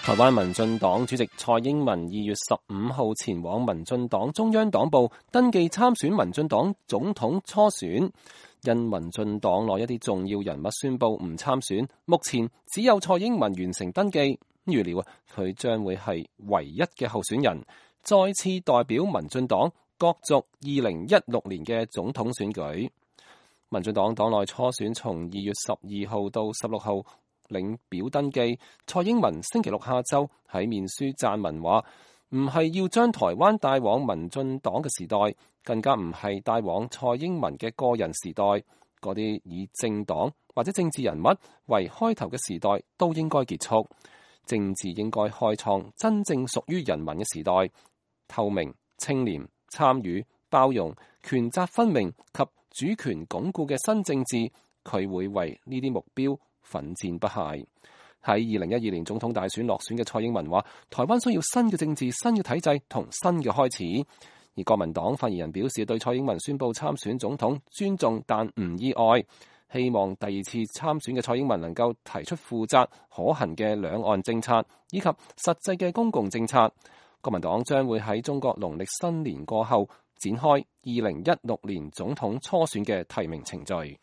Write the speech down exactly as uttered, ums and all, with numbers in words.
台灣民進黨主席蔡英文二月十五號前往民進黨中央黨部登記參選民進黨總統初選，因民進黨內一啲重要人物宣布唔參選，目前只有蔡英文完成登記，預料佢將會係唯一嘅候選人，再次代表民進黨角逐二零一六年嘅總統選舉。民進黨黨內初選從二月十二號到十六號領表登記，蔡英文星期六下晝喺面書撰文話，唔係要將台灣帶往民進黨嘅時代，更加唔係帶往蔡英文嘅個人時代，嗰啲以政黨或者政治人物為開頭嘅時代都應該結束，政治應該開創真正屬於人民嘅時代，透明、清廉、參與、包容、權責分明及主權鞏固嘅新政治，佢會為呢啲目標奮戰不懈。喺二零一二年總統大選落選嘅蔡英文話，台灣需要新嘅政治、新嘅體制同新嘅開始。而國民黨發言人表示，對蔡英文宣布參選總統尊重但唔意外，希望第二次參選嘅蔡英文能夠提出負責可行嘅兩岸政策以及實際嘅公共政策。國民黨將會喺中國農曆新年過後展開二零一六年總統初選嘅提名程序。